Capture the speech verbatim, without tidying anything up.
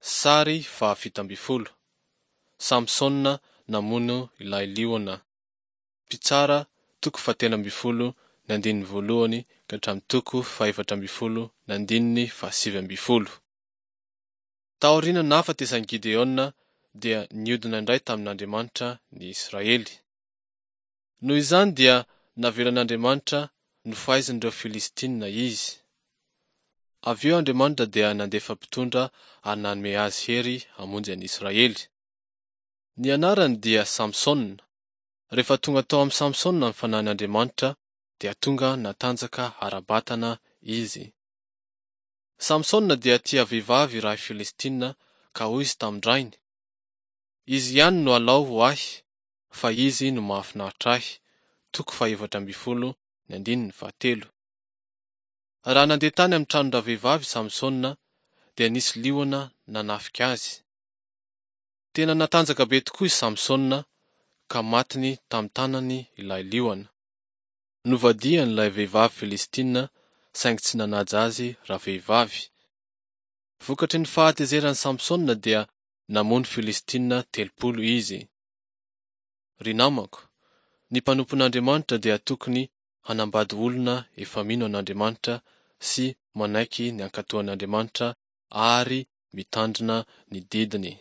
Sary fahafito ambin'ny folo. Samsona namono ilay liona. Mpitsara toko fahatelo ambin'ny folo ny andininy voalohany ka hatramin'ny toko fahefatra ambin'ny folo ny andininy fahasivy ambin'ny folo. Taorian'ny nahafatesan'i Gideona dia niodina indray tamin'Andriamanitra ny Israely. Noho izany dia navelan'Andriamanitra nofaizin'ireo Filistina izy. Avy eo Andriamanitra dia nandefa mpitondra ary nanome azy hery hamonjy an'i Israely. Ny anarany dia Samsona. Rehefa tonga tao amin'i Samsona ny fanahin'Andriamanitra dia tonga natanjaka ara-batana izy. Samsona dia tia vehivavy iray Filistina ka hoy izy tamin-drainy: Izy ihany no alao ho ahy, fa izy no mahafinaritra ahy. Toko fahefatra ambin'ny folo ny andininy fahatelo. Raha nandeha tany amin'ny tranon-dravehivavy Samsona dia nisy liona nanafika azy. Tena natanjaka be tokoa i Samsona ka matiny tamin'ny tanany ilay liona. Novadian'ilay vehivavy Filistina saingy tsy nanaja azy ravehivavy. Vokatry ny fahatezeran'i Samsona dia namono Filistina telopolo izy. Ry namako, ny mpanompon'Andriamanitra dia tokony hanambady olona efa mino an'Andriamanitra sy manaiky ny hankatoan'Andriamanitra ary mitandrina ny didiny.